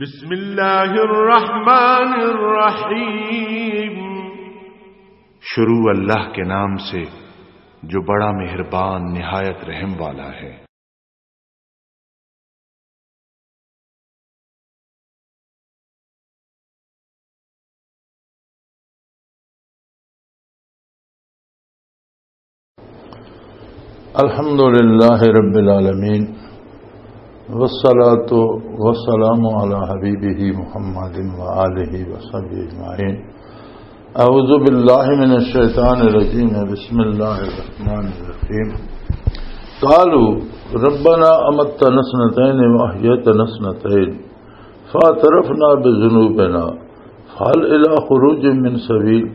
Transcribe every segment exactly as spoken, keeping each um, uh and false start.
بسم اللہ الرحمن الرحیم۔ شروع اللہ کے نام سے جو بڑا مہربان نہایت رحم والا ہے۔ الحمد لله رب العالمين، والصلاة والسلام على حبيبه محمد وآله وصحبه أجمعين. أعوذ بالله من الشيطان الرجيم. بسم الله الرحمن الرحيم. قالوا ربنا أمتنا اثنتين وأحييتنا اثنتين فاعترفنا بذنوبنا فهل إلى خروج من سبيل.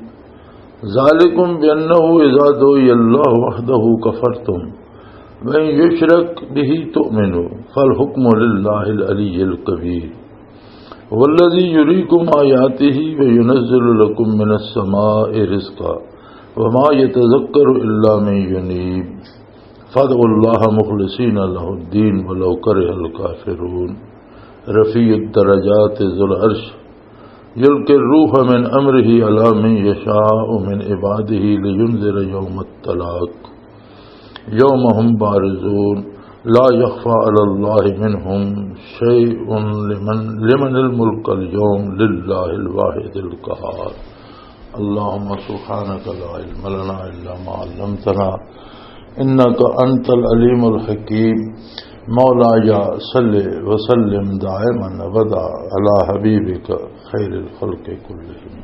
ذلكم بأنه إذا دعي الله وحده كفرتم وإن يشرك به تؤمنوا فالحكم لله العلي الكبير. هو الذي يريكم آياته وينزل لكم من السماء رزقا وما يتذكر إلا من ينيب. فادعوا الله مخلصين له الدين ولو كره الكافرون. رفيع الدرجات ذو العرش يلقي الروح من أمره على من يشاء من عباده لينذر يوم التلاق يوم هم بارزون لا يخفى على الله منهم شيء لمن، لمن الملك اليوم لله الواحد القهار. اللهم سبحانك لا علم لنا إلا ما علمتنا إنك أنت العليم الحكيم. مولاي صل وسلم دائما أبدا على حبيبك خير الخلق كلهم.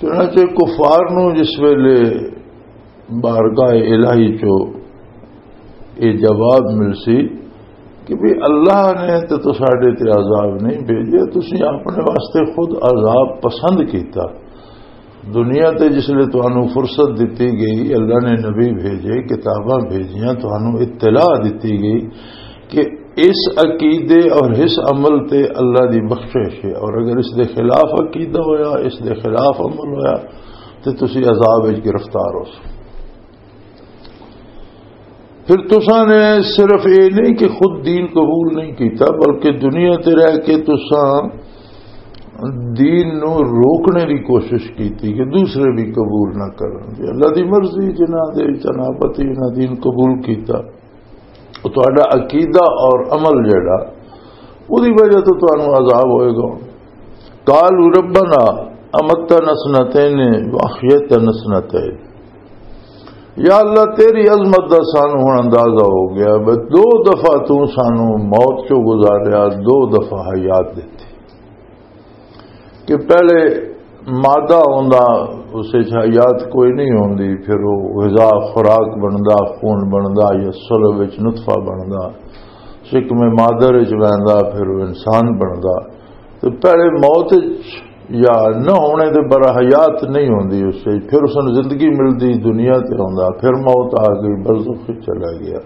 چنانچہ کفار نو جس ویلے بارگاہ الہی چو یہ جواب ملسی کہ بھی اللہ نے تے تو ساڈے تے عذاب نہیں بھیجے، تسی اپنے واسطے خود عذاب پسند کیتا۔ دنیا تے جس لئے تانوں فرصت دتی گئی، اللہ نے نبی بھیجے، کتاباں بھیجیاں، تانوں اطلاع دتی گئی کہ اس عقیدے اور اس عمل تے اللہ دی بخشش ہے، اور اگر اس دے خلاف عقیدہ ہویا، اس دے خلاف عمل ہویا، تے تسی عذاب وچ گرفتار ہو سو۔ پھر تساں نے صرف یہ نہیں کہ خود دین قبول نہیں کیتا، بلکہ دنیا تے رہ کے تساں دین نو روکنے دی کوشش کیتی کہ دوسرے بھی قبول نہ کرن۔ یہ اللہ دی مرضی، جنہاں دے وچ انابت ہی انہاں دین قبول کیتا۔ وہ تہاڈا عقیدہ اور عمل جڑا، اودی وجہ تو تانوں عذاب ہوئے گا۔ قالوا ربنا امتنا سنتين واحييتنا سنتين۔ یا اللہ، تیری عظمت دا سانو ہن اندازہ ہو گیا، بس دو دفعہ تو سانو موت چوں گزاریا، دو دفعہ حیات دتی۔ کہ پہلے مادہ ہوندا، اس وچ حیات کوئی نہیں ہوندی، پھر وہ غذا، خوراک بندا، خون بندا یا صلب وچ نطفہ بندا، شکم مادر وچ ویندا، پھر وہ انسان بندا۔ تو پہلے موت وچ یا نہ ہونے دے برا حیات نہیں ہوندی، اس وچ پھر اس نوں زندگی ملدی، دنیا تے ہوندا، پھر موت آ گئی، برزخ وچ چلا گیا۔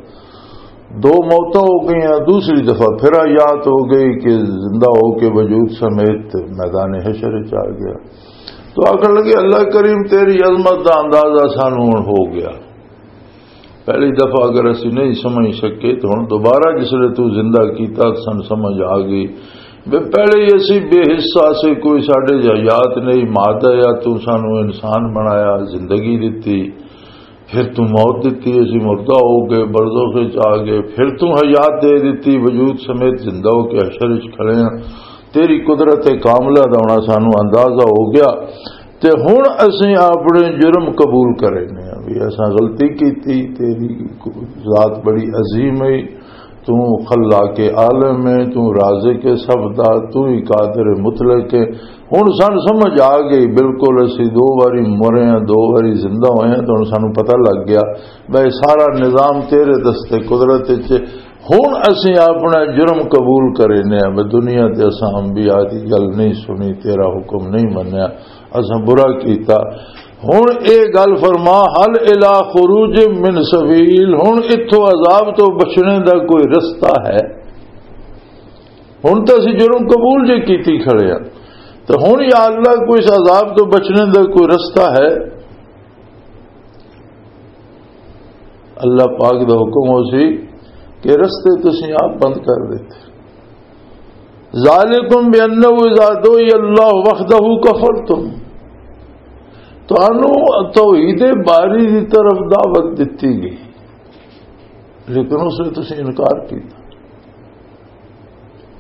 دو موتاں ہو گئیاں، دوسری دفعہ پھر حیات ہو گئی کہ زندہ ہو کے وجود سمیت میدان حشر وچ آ گیا۔ تو آخر لگے، اللہ کریم، تیری عظمت دا اندازہ سانو ہن ہو گیا۔ پہلی دفعہ اگر اسی نہیں سمجھ سکے تو ہن دوبارہ جس لے تو زندہ کیتا، سن سمجھ آ گئی۔ بے پہلے ہی اسی بے حصہ سے، کوئی ساڈے جا یاد نہیں، مادہ یا تو سانو انسان بنایا، زندگی دتی، پھر تو موت دتی، اسی مردہ ہو گئے، برزخ وچ آ گئے، پھر تو حیات دے دتی، وجود سمیت زندہ ہو کے حشر وچ کھڑے ہیں۔ تیری قدرت کاملہ دا ہونا سانو اندازہ ہو گیا۔ تے ہن اسیں اپنے جرم قبول کرنے ہیں، بھی اساں غلطی کیتی، تیری ذات بڑی عظیم ہے، تو خلاق عالم ہے، تو رازق سب دا، تو ہی قادر مطلق ہے۔ ہن سن سمجھ آ گئی، بالکل اسی دو واری مرے ہیں، دو واری زندہ ہوئے ہیں، تو ہن سانو پتہ لگ گیا، بھائی سارا نظام تیرے دستے قدرت وچ۔ ہن اسیں اپنا جرم قبول کرنے ہیں، بھئی دنیا تے اساں انبیاء دی گل نہیں سنی، تیرا حکم نہیں منیا، اساں برا کیتا۔ ہن اے گل فرما، هل إلى خروج من سبيل، ہن اتھوں عذاب تو بچنے دا کوئی رستہ ہے؟ ہن تے اسی جرم قبول جے کیتی کھڑے ہاں، تے ہن یا اللہ کوئی اس عذاب تو بچنے دا کوئی رستہ ہے؟ اللہ پاک دا حکم ہو سی کہ رستے تسی آپ بند کر دیتے۔ ذالکم بانہ اذا دعی اللہ وحدہ کفرتم، تانوں توحید باری دی طرف دعوت دتی گئی، لیکن اس نے تسی انکار کیتا،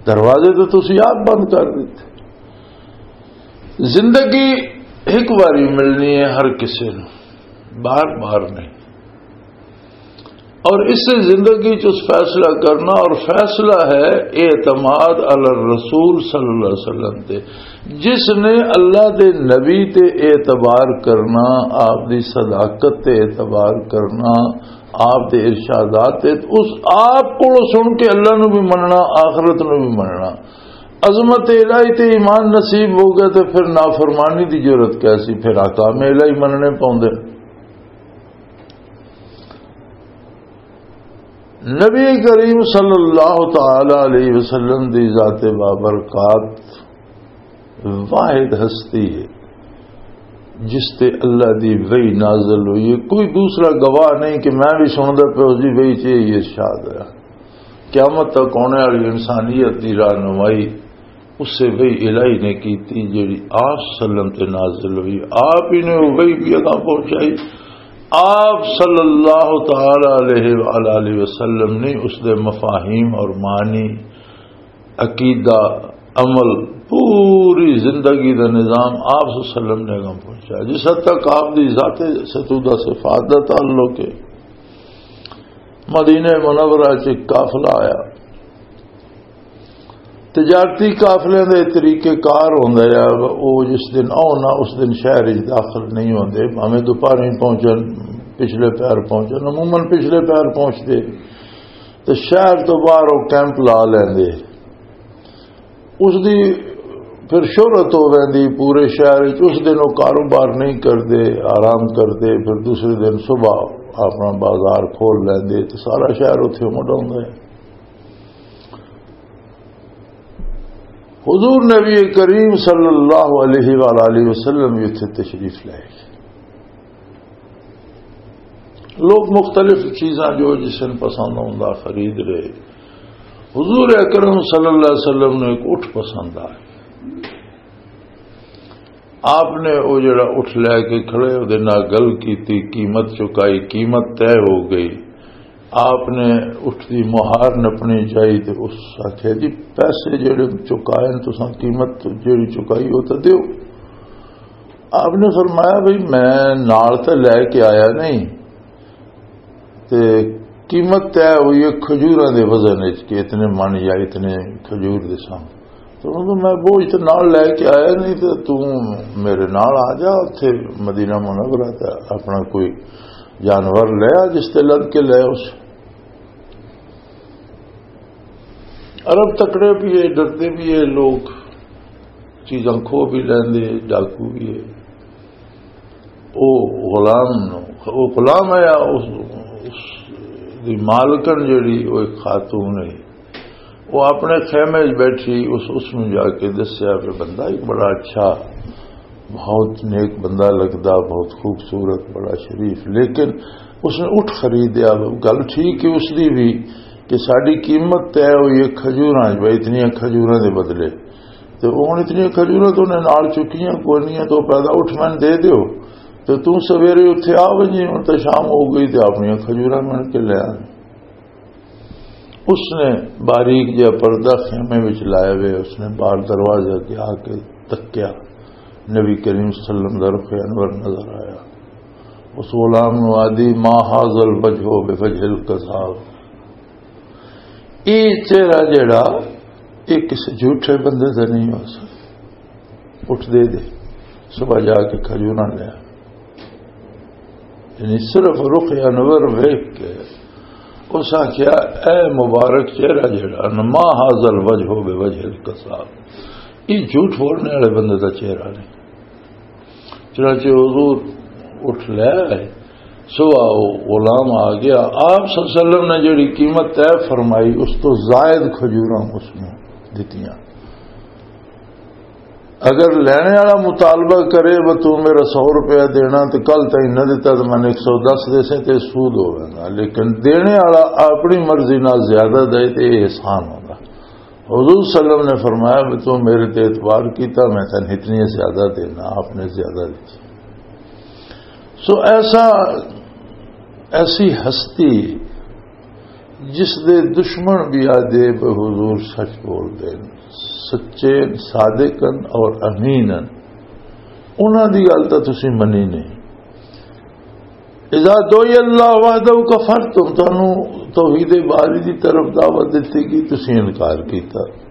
دروازے تو تسی آپ بند کر دیتے۔ زندگی ایک باری ملنی ہے ہر کسی نوں، بار بار نہیں۔ اور اس سے زندگی چ اس فیصلہ کرنا، اور فیصلہ ہے اعتماد علی الرسول صلی اللہ علیہ وسلم تے۔ جس نے اللہ دے نبی تے اعتبار کرنا، آپ دی صداقت تے اعتبار کرنا، آپ دے ارشادات تے، اس آپ کو سن کے اللہ نو بھی مننا، آخرت نو بھی مننا۔ عظمت الہی تے ایمان نصیب ہو گیا تے پھر نافرمانی دی جرت کیسی؟ پھر احکام الہی مننے پوندے۔ نبی کریم صلی اللہ تعالی علیہ وسلم دی ذات بابرکات واحد ہستی ہے جس تے اللہ دی وحی نازل ہوئی ہے۔ کوئی دوسرا گواہ نہیں کہ میں بھی سندا پیا اس دی وحی چ یہ ارشاد ہوا۔ قیامت تک آنے والی انسانیت دی رہنمائی اس سے وہی الہی نے کیتی جیڑی آپ سلم تے نازل ہوئی۔ آپ ہی نے وہ وہی بھی اگاں پہنچائی۔ آپ صلی اللہ تعالی علیہ وآلہ وسلم نے اس دے مفاہیم اور معنی، عقیدہ، عمل، پوری زندگی دا نظام آپ صلی اللہ علیہ وسلم نے اگاں پہنچایا۔ جس حد تک آپ دی ذات ستودہ صفات دا تعلق ہے، مدینہ منورہ چ ایک قافلہ آیا، تجارتی قافلے دے طریقے کار ہوندا ہے، او جس دن آؤ نا، اس دن شہر وچ داخل نہیں ہوندے، بھاویں دوپہر ہی پہنچن، پچھلے پہر پہنچن، عموماً پچھلے پہر پہنچدے تے شہر تو باہر او کیمپ لا لیندے۔ اس دی پھر شہرت ہو ویندی پورے شہر وچ۔ اس دن او کاروبار نہیں کردے، آرام کردے، پھر دوسرے دن صبح اپنا بازار کھول لیندے تے سارا شہر اتھے مڈ ہوندا ہے۔ حضور نبی کریم صلی اللہ علیہ وآلہ وسلم بھی اتھے تشریف لے گئے۔ لوگ مختلف چیزاں جو جس نے پسند ہوندا خرید رہے۔ حضور اکرم صلی اللہ علیہ وسلم نے ایک اٹھ پسند آیا۔ آپ نے وہ جڑا اٹھ لے کے کھڑے، وہ نال گل کیتی، قیمت چکائی، قیمت طے ہو گئی۔ آپ نے اٹھ دی مہار نپنی چاہی تے اس آکھیا، "جی، پیسے جڑے چکائے نے تساں، قیمت جڑی چکائی، وہ تو دیو۔" آپ نے فرمایا، "بھئی، میں نال تے لے کے آیا نہیں، تے قیمت طے ہوئی ہے کھجوراں دے وزن وچ کہ اتنے من یا اتنے کھجور دے سن۔" تو انہوں نے، "میں بوجھ تے نال لے کے آیا نہیں، تے توں میرے نال آ جا، اتھے مدینہ منورہ تے اپنا کوئی جانور لے آ، جس تے لد کے لے اس۔" عرب تکڑے بھی ہے، ڈرتے بھی ہے لوگ، چیزاں کھو بھی لیندے، ڈاکو بھی ہے۔ او غلام نو، او غلام ہے یا اس، اس دی مالکن جڑی، او ایک خاتون ہے، وہ اپنے خیمے وچ بیٹھی، اس، اس نو جا کے دسیا کہ بندہ ایک بڑا اچھا، بہت نیک بندہ لگدا، بہت خوبصورت، بڑا شریف، لیکن اس نے اٹھ خریدیا۔ گل ٹھیک ہے اس دی بھی کہ ساڈی قیمت طے ہوئی ہے کھجوراں وچ، بھائی اتنیاں کھجوراں دے بدلے۔ تے ہن اتنیاں کھجوراں تو انہیں نال چکیاں کوئی نہیں، تو پیدا اٹھ میں دے دیو، تے توں سویرے اتھے آ ونجی، ہن تے شام ہو گئی، تے اپنیاں کھجوراں مل کے لے آ۔ اس نے باریک جہا پردہ خیمے وچ لائے ہوئے، اس نے باہر دروازے اگے آ کے تکیا، نبی کریم صلی اللہ علیہ وسلم دا رخ انور نظر آیا۔ اس غلام نو آدی، "ما هذا الوجه بوجه الكذاب۔" یہ چہرہ جڑا، یہ کسی جھوٹے بندے دا نہیں ہو سکتا۔ اٹھ دے دے، صبح جا کے کھجوراں لیا۔ یعنی صرف رخ انور ویکھ کے اس آکھیا، "اے مبارک چہرہ جڑا نا، ما هذا الوجه بوجه الكذاب، یہ جھوٹ بولنے والے بندے دا چہرہ نہیں۔" چنانچہ حضور اٹھ لے آئے۔ صبح وہ غلام آ گیا۔ آپ صلی اللہ علیہ وسلم نے جڑی قیمت طے فرمائی، اس تو زائد کھجوراں اس میں دتیاں۔ اگر لینے والا مطالبہ کرے، "وہ تو میرا سو روپیہ دینا، تو کل تائیں نہ دیتا تو میں نے ایک سو دس دے سے، تے سود ہوگا، لیکن دینے والا اپنی مرضی نال زیادہ دے، تے یہ احسان ہوگا۔" حضور صلی اللہ علیہ وسلم نے فرمایا، "بھی تو میرے تے اعتبار کیتا، میں تن اتنی زیادہ دینا۔" آپ نے زیادہ دی۔ سو ایسا، ایسی ہستی جس دے دشمن بھی آدھے پہ حضور سچ بول دے، سچے، صادق ہن اور امین ہن، انہاں دی گل تاں تسی منی نہیں۔ اذا دعی اللہ وحدہ کفرتم، تانوں توحید باری دی طرف دعوت دتی گئی، تسی انکار کیتا۔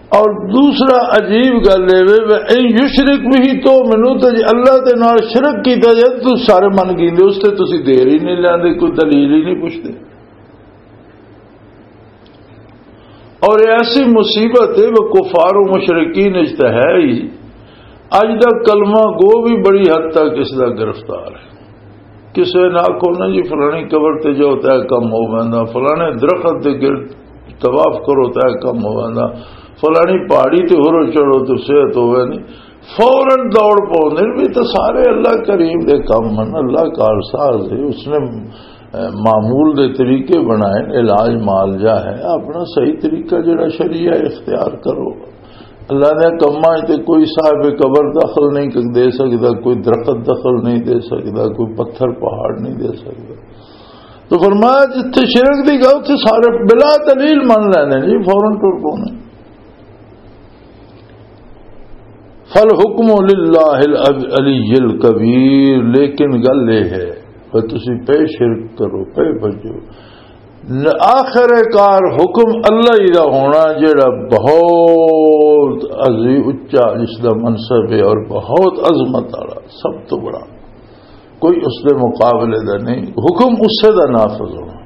اور دوسرا عجیب گل اے وے، "وَإِن يُشْرِكْ بِهِ تُؤْمِنُوا"، تے جے اللہ دے نال شرک کیتا جائے تو سارے من گیندے، اس تے تسی دیر ہی نہیں لیندے، کوئی دلیل ہی نہیں پوچھتے۔ اور یہ ایسی مصیبت ہے، وہ کفار و مشرکین اچ تے ہے ہی۔ اج دا کلمہ گو بھی بڑی حد تک اس دا گرفتار ہے۔ کسے نہ آکھو نا جی، فلانی قبر تے جاؤ تے کم ہو ویندا، فلانے درخت دے گرد طواف کرو تے کم ہو ویندا، فلانی پہاڑی تے ہورو چڑھو تے صحت ہو ویندی۔ فوراً دوڑ پاؤندے نے، بھی تو سارے اللہ کریم دے کم ہن، اللہ کارساز ہے، اس نے، اے، معمول دے طریقے بنائے، علاج معالجہ ہے، اپنا صحیح طریقہ جڑا شریعہ اختیار کرو۔ اللہ دے کماں تے کوئی صاحب قبر دخل نہیں دے سکدا، کوئی درخت دخل نہیں دے سکدا، کوئی پتھر پہاڑ نہیں دے سکدا۔ تو فرمایا، جتھے شرک دی گل، اتھے سارے بلا دلیل من لیندے نے جی، فوراً ٹر پوندے۔ فالحکم للہ العلی الکبیر، لیکن گل یہ ہے کہ تسی پے شرک کرو، پے بجو، ن-، آخر کار حکم اللہ ہی دا ہونا، جڑا بہت عظیم، اچا جس دا منصب ہے اور بہت عظمت والا، سب تو بڑا، کوئی اس دے مقابلے دا نہیں۔ حکم اسے دا نافذ ہونا۔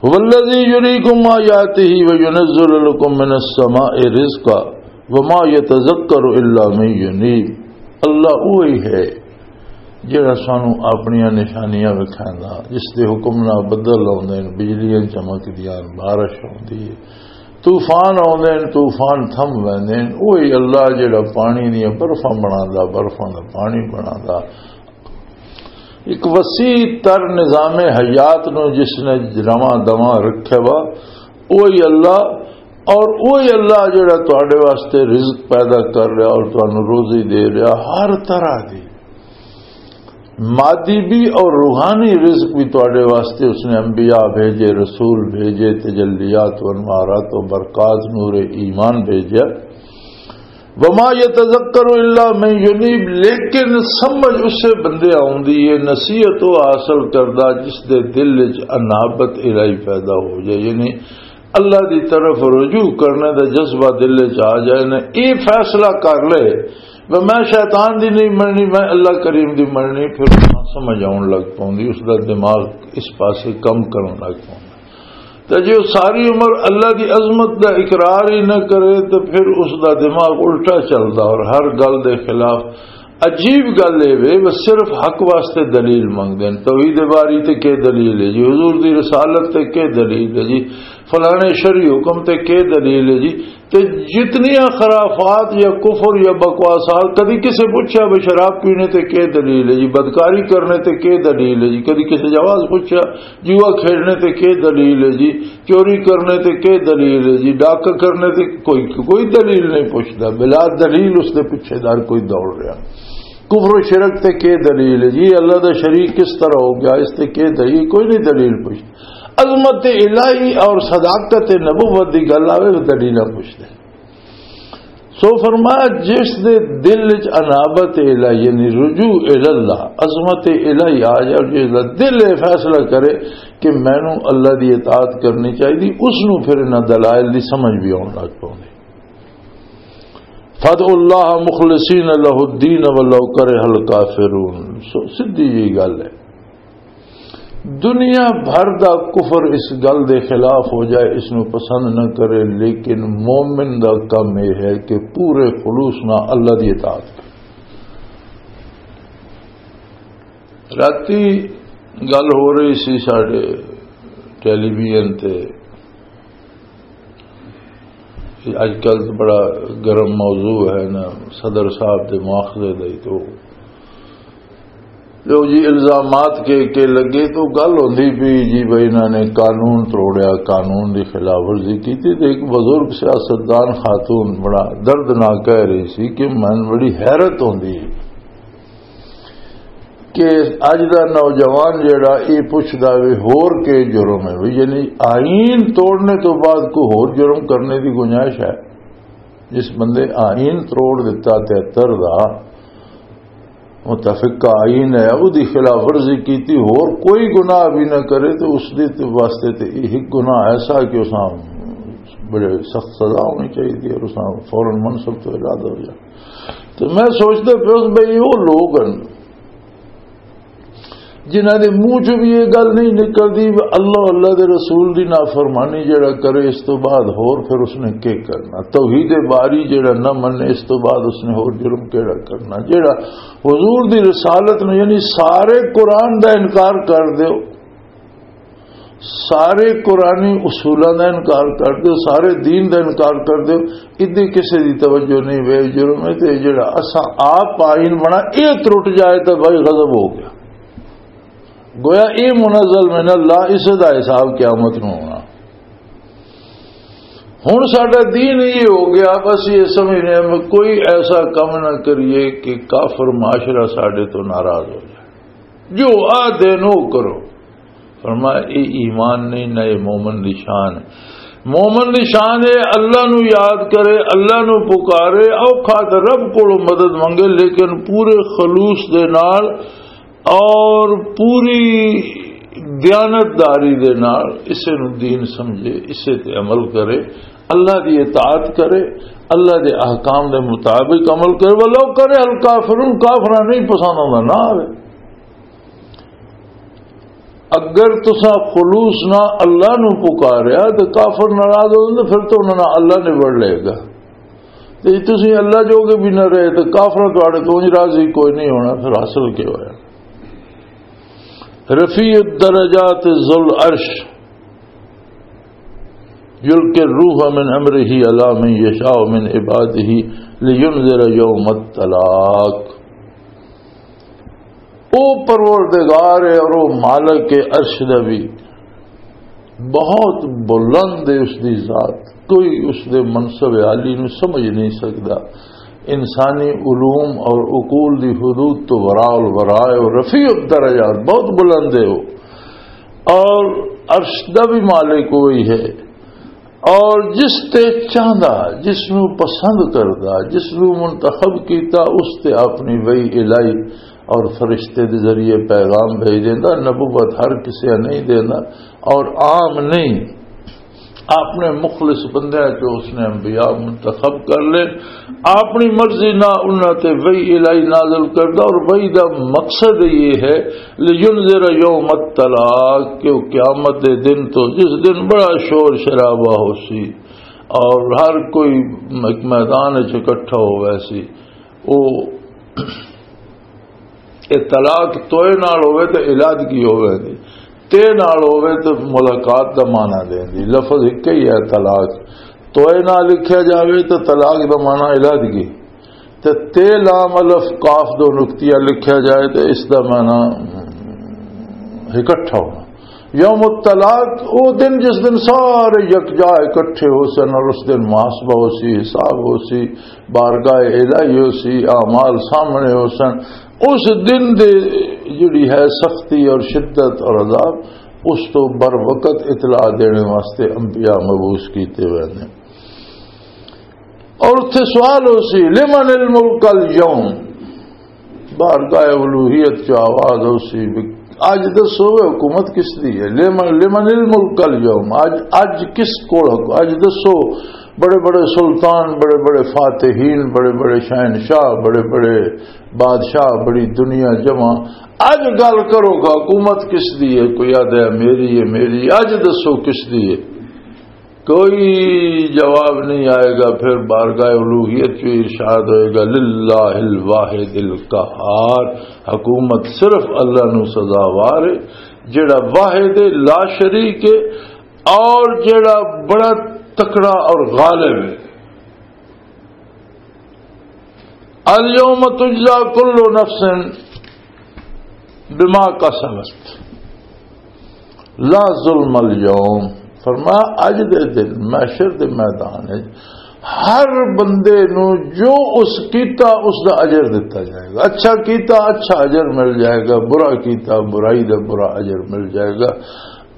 هو الذي يريكم آياته وينزل لكم من السماء رزقا وما يتذكر إلا من ينيب۔ اللہ وہی ہے جڑا سانو اپنیاں نشانیاں وکھاوندا، جس دے حکم نال بدل آوندے نے، بجلیاں چمکدیاں، بارش ہوندی ہے، طوفان آوندے نے، طوفان تھم ویندے نے۔ وہی اللہ جڑا پانی دیاں برفاں بناندا، برفاں دا پانی بناندا، ایک وسیع تر نظام حیات نو جس نے رواں دواں رکھیا وا، اوہی اللہ، اور اوہی اللہ جڑا تواڈے واسطے رزق پیدا کر رہا اور تانوں روزی دے رہا ہر طرح دی، مادی بھی اور روحانی رزق بھی تواڈے واسطے اس نے انبیاء بھیجے، رسول بھیجے، تجلیات و انوارات و برکات، نور ایمان بھیجا۔ وما يتذكر إلا من ينيب، لیکن سمجھ اسے بندے آوندی ہے، نصیحت وہ حاصل کردا جس دے دل وچ انابت الہی پیدا ہو جائے، یعنی اللہ دی طرف رجوع کرنے دا جذبہ دل وچ آ جائے نا، اے فیصلہ کر لے، "میں، میں شیطان دی نہیں مننی، میں اللہ کریم دی مننی"، پھر سمجھ آن لگ پوندی، اس دا دماغ اس پاسے کم کرن لگ پوندا۔ تے جے او ساری عمر اللہ دی عظمت دا اقرار ہی نہ کرے، تے پھر اس دا دماغ الٹا چلدا اور ہر گل دے خلاف۔ عجیب گل اے وے، وہ صرف حق واسطے دلیل منگدے نے۔ توحید باری تے کے دلیل ہے جی؟ حضور دی رسالت تے کے دلیل ہے جی؟ فلانے شرعی حکم تے کے دلیل ہے جی؟ تے جتنیاں خرافات یا کفر یا بکواسات، کدی کسے پوچھا بھی شراب پینے تے کے دلیل ہے جی، بدکاری کرنے تے کے دلیل ہے جی، کدی کسے جواز پوچھا، جوا کھیڈنے تے کے دلیل ہے جی، چوری کرنے تے کے دلیل ہے جی، ڈاکہ کرنے تے کوئی، کوئی دلیل نہیں پوچھدا، بلا دلیل اس دے پیچھے دار کوئی دوڑ رہا۔ کفر و شرک تے کے دلیل ہے جی، اللہ دا شریک کس طرح ہو گیا، اس تے کے دلیل؟ کوئی نہیں دلیل پوچھدا۔ عظمت الہی اور صداقت نبوت دی گل آوے، دلیلاں پوچھدے۔ سو فرمایا، جس دے دل وچ انابت الہی، یعنی رجوع الی اللہ، عظمت الہی آ جائے، اور جس دا دل یہ فیصلہ کرے کہ مینوں اللہ دی اطاعت کرنی چاہیے، اس نوں پھر انہاں دلائل دی سمجھ بھی آن لگ پوندی۔ فادعوا اللہ مخلصین لہ الدین ولو کرہ الکافرون۔ سو سدھی جی گل ہے۔ دنیا بھر دا کفر اس گل دے خلاف ہو جائے، اس نو پسند نہ کرے، لیکن مومن دا کم یہ ہے کہ پورے خلوص نال اللہ دی اطاعت کرے۔ راتی گل ہو رہی سی ساڈے ٹیلی ویژن تے، اج کل تو بڑا گرم موضوع ہے نا، صدر صاحب دے مواخذے دا ہی۔ تو لو جی، الزامات کے کے لگے تو گل ہوندی پی جی بھائی، انہاں نے قانون تروڑیا، قانون دی خلاف ورزی کیتی۔ تے ایک بزرگ سیاستدان خاتون بڑا دردناک کہہ رہی سی کہ من بڑی حیرت ہوندی ہے کہ اج دا نوجوان جیڑا اے پچھدا وے ہور کے جرم ہے، یعنی آئین توڑنے تو بعد کوئی ہور جرم کرنے دی گنجائش ہے؟ جس بندے آئین تروڑ دتا تہتر دا، متفقہ آئین ہے، او دی خلاف ورزی کیتی، ہور کوئی گناہ بھی نہ کرے، تو اس دے تے واسطے تے ایک گناہ ایسا کہ اساں بڑے سخت سزا ہونی چاہیے اور اساں فوراً منصب تو ارادہ ہو جائے۔ تو میں سوچدا پیا بھئی، وہ لوگ ہیں جنہاں دے منہ چ بھی یہ گل نہیں نکلدی، اللہ، اللہ دے رسول دی نافرمانی جڑا کرے، اس تو بعد ہور پھر اس نے کی کرنا؟ توحید باری جڑا نہ منے، اس تو بعد اس نے ہور جرم کیڑا کرنا؟ جڑا حضور دی رسالت نو، یعنی سارے قرآن دا انکار کر دیو، سارے قرآنی اصولاں دا انکار کر دیو، سارے دین دا انکار کر دیو، ادے کسے دی توجہ نہیں، بے جرم ہے۔ تے جڑا اساں آپ آئین بنا، اے ترٹ جائے تو بھائی غضب ہو گیا۔ گویا اے منزل من اللہ، اس دا حساب قیامت نو ہونا۔ ہن ساڈا دین یہ ہو گیا، بس یہ سمجھنے ہم کوئی ایسا کم نہ کریے کہ کافر معاشرہ ساڈے تو ناراض ہو جائے۔ جو آ دین او کرو۔ فرمایا، اے ایمان نہیں، نہ اے مومن دی شان ہے۔ مومن دی شان ہے اللہ نو یاد کرے، اللہ نو پکارے، اوکھا تے رب کولوں مدد منگے، لیکن پورے خلوص دے نال اور پوری دیانتداری دے نال اسے نو دین سمجھے، اسے تے عمل کرے، اللہ دی اطاعت کرے، اللہ دے احکام دے مطابق عمل کرے۔ ولو کرہ الکافرون، کافراں نہیں پسند آندا، نہ آوے۔ اگر تساں خلوص نہ اللہ نو پکاریا تے کافر ناراض ہو جاندے، پھر تو انہاں نال اللہ نبڑ لے گا۔ تے جے تسی اللہ جو کے بھی نہ رہے تے کافر تواڈے تو انج راضی کوئی نہیں ہونا، پھر حاصل کیا ہویا؟ رفیع الدرجات ذو العرش یلقی الروح من امرہ علی من یشاء من عبادہ لینذر یوم التلاق۔ او پروردگار ہے اور او مالک ہے عرش دا بھی، بہت بلند ہے اس دی ذات، کوئی اس دے منصب عالی نو سمجھ نہیں سکدا۔ انسانی علوم اور عقول دی حدود تو وراء الورا ہے، اور رفیع الدرجات، بہت بلند ہے وہ، اور عرش دا بھی مالک وہی ہے۔ اور جس تے چاہندا، جس نو پسند کردا، جس نو منتخب کیتا، اس تے اپنی وحی الہی اور فرشتے دے ذریعے پیغام بھیج دیندا۔ نبوت ہر کسے نہیں دیندا اور عام نہیں، اپنے مخلص بندیاں چوں اس نے انبیاء منتخب کر لے، اپنی مرضی نہ انہاں تے وحی الہی نازل کردا، اور وحی دا مقصد یہ ہے، لینذر یوم التلاق، کہ وہ قیامت دے دن تو، جس دن بڑا شور شرابہ ہو سی اور ہر کوئی ایک میدان وچ اکٹھا ہووے سی، وہ اے طلاق توئے نال ہووے تے علادگی ہووے دی، تے نال ہووے تے ملاقات دا معنی دین دی۔ لفظ ایک ہی ہے طلاق، توئے نال لکھیا جاوے تے طلاق دا معنی علادگی، تے تے لام الف کاف دو نقطیاں لکھیا جائے تے اس دا معنی اکٹھا ہونا۔ یوم الطلاق، او دن جس دن سارے یکجا اکٹھے ہو سن اور اس دن محاسبہ ہو سی، حساب ہو سی، بارگاہ الہی ہو سی، اعمال سامنے ہو سن۔ اس دن دے جڑی ہے سختی اور شدت اور عذاب، اس تو بر وقت اطلاع دینے واسطے انبیاء مبعوث کیتے ہوئے نے۔ اور اتھے سوال ہو سی، لمن الملک الیوم؟ بارگاہ الوہیت چ آواز ہو سی، اج دسو، حکومت کس دی ہے؟ لمن، لمن الملک الیوم؟ اج، اج کس کول حکو-، اج دسو، بڑے بڑے سلطان، بڑے بڑے فاتحین، بڑے بڑے شہنشاہ، بڑے بڑے بادشاہ، بڑی دنیا جمع، اج گل کرو گا، حکومت کس دی ہے؟ کوئی آدھا ہے، میری ہے، میری۔ اج دسو کس دی ہے؟ کوئی جواب نہیں آئے گا۔ پھر بارگاہ الوہیت جو ارشاد ہوئے گا، للہ الواحد القہار، حکومت صرف اللہ نو سزاوار ہے، جڑا واحد ہے، لا شریک ہے، اور جڑا بڑا تکڑا اور غالب ہے۔ الیوم تجزا کل نفس بما کسبت، لا ظلم الیوم۔ فرمایا، اج دے دن محشر دے میدان وچ ہر بندے نو جو اس کیتا، اس دا اجر دتا جائے گا۔ اچھا کیتا، اچھا اجر مل جائے گا، برا کیتا، برائی دا برا اجر مل جائے گا۔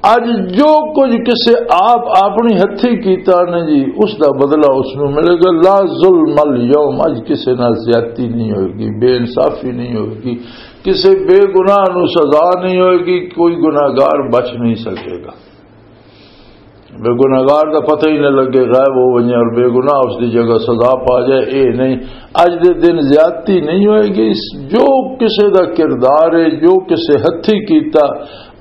اج جو کچھ کسے آپ اپنی ہتھی کیتا نا جی، اس دا بدلہ اس نو ملے گا۔ لا ظلم الیوم، اج کسے نال زیادتی نہیں ہوئے گی، بے انصافی نہیں ہوئے گی، کسے بے گناہ نو سزا نہیں ہوئے گی، کوئی گناہگار بچ نہیں سکے گا۔ بے گناہگار دا پتہ ہی نہ لگے، غائب ہو ونجے اور بے گناہ اس دی جگہ سزا پا جائے، اے نہیں۔ اج دے دن زیادتی نہیں ہوئے گی۔ جو کسے دا کردار ہے، جو کسے ہتھی کیتا،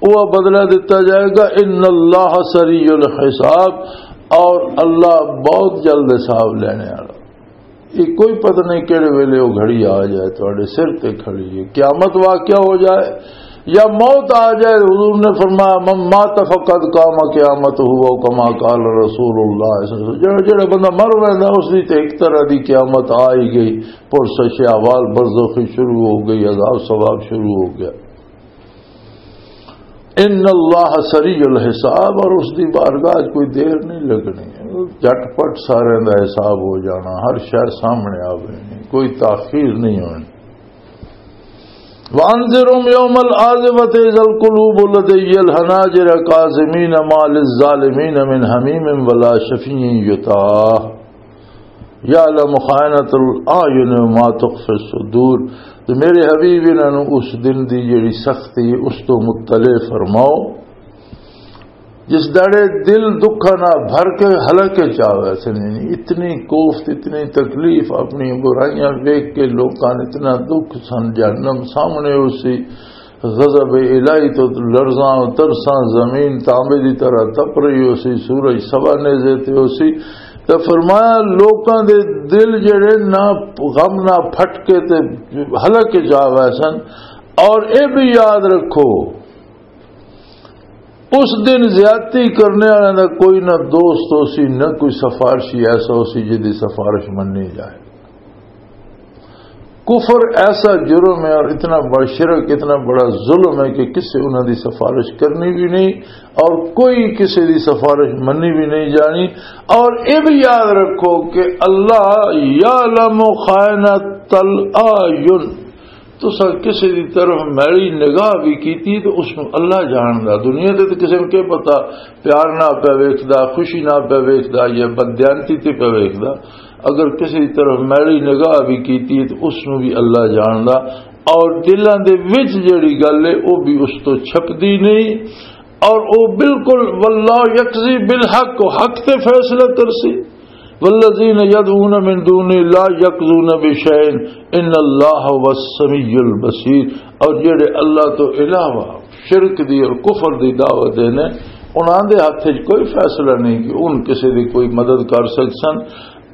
وہ بدلہ دتا جائے گا۔ ان اللہ سریع الحساب، اور اللہ بہت جلد حساب لینے والا۔ یہ کوئی پتہ نہیں کہڑے ویلے وہ گھڑی آ جائے، تہاڈے سر تے کھڑی ہے، قیامت واقعہ ہو جائے یا موت آ جائے۔ حضور نے فرمایا، "من مات فقد قام قیامتہ"، او کما قال رسول اللہ صلی اللہ علیہ وسلم۔ جڑا، جڑا بندہ مر ویندا، اس دی تے ایک طرح دی قیامت آ ہی گئی، پرسش احوال برزخی شروع ہو گئی، عذاب ثواب شروع ہو گیا۔ ان اللہ سریع الحساب، اور اس دی بارگاہ وچ کوئی دیر نہیں لگنی، جھٹ پٹ سارے دا حساب ہو جانا، ہر شے سامنے آ جانی، کوئی تاخیر نہیں ہونی۔ وانذرهم یوم الآزفة اذا القلوب لدی الحناجر کاظمین ما للظالمین من حمیم ولا شفیع یطاع۔ یعلم خائنۃ الاعین وما تخفی الصدور۔ تے میرے حبیب، انہاں نوں اس دن دی جڑی سختی ہے، اس تو مطلع فرماؤ، جس داڑے دل دکھاں نال بھر کے حلقے چ آوے سن۔ یعنی اتنی کوفت، اتنی تکلیف، اپنی برائیاں ویکھ کے لوکاں نوں اتنا دکھ سن، جہنم سامنے ہو سی، غضب الہی تو لرزاں و ترساں، زمین تانبے دی طرح تپ رہی ہو سی، سورج سوا نیزے تے ہو سی۔ تے فرمایا، لوکاں دے دل جڑے نہ غم نہ پھٹکے تے حلق وچ آ گئے سن۔ اور اے بھی یاد رکھو، اس دن زیادتی کرنے والے دا کوئی نہ دوست ہو سی، نہ کوئی سفارشی ایسا ہو سی جس دی سفارش مننی جائے۔ کفر ایسا جرم ہے اور اتنا بڑا شرک، اتنا بڑا ظلم ہے کہ کسے انہاں دی سفارش کرنی بھی نہیں اور کوئی کسے دی سفارش مننی بھی نہیں جانی۔ اور یہ بھی یاد رکھو کہ اللہ یعلم خائنۃ الاعین، تساں کسے دی طرف میلی نگاہ بھی کیتی تو اس نو اللہ جاندا۔ دنیا تے تے کسے نوں کی پتہ، پیار نہ پیا ویکھدا، خوشی نہ پیا ویکھدا یا بددیانتی تے پیا ویکھدا۔ اگر کسے دی طرف میلی نگاہ بھی کیتی تو اس نو بھی اللہ جاندا۔ اور دلاں دے وچ جڑی گل ہے، او بھی اس تو چھپدی نہیں۔ اور او بالکل، واللہ یقضی بالحق، او حق تے فیصلہ کرسی۔ والذین یدعون من دونہ لا یقضون بشیء ان اللہ هو السمیع البصیر۔ اور جڑے اللہ تو علاوہ شرک دی اور کفر دی دعوت دینے، انہاں دے ہتھ وچ کوئی فیصلہ نہیں کہ ان کسے دی کوئی مدد کر سکسن۔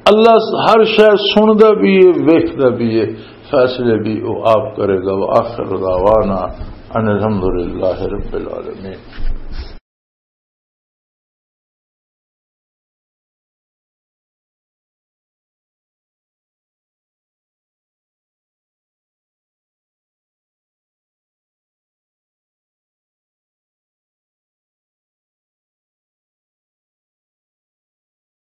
اللہ ہر شے سندا بھی ہے، ویکھدا بھی ہے، فیصلے بھی وہ آپ کرے گا۔ وآخر دعوانا ان الحمد للہ رب العالمین۔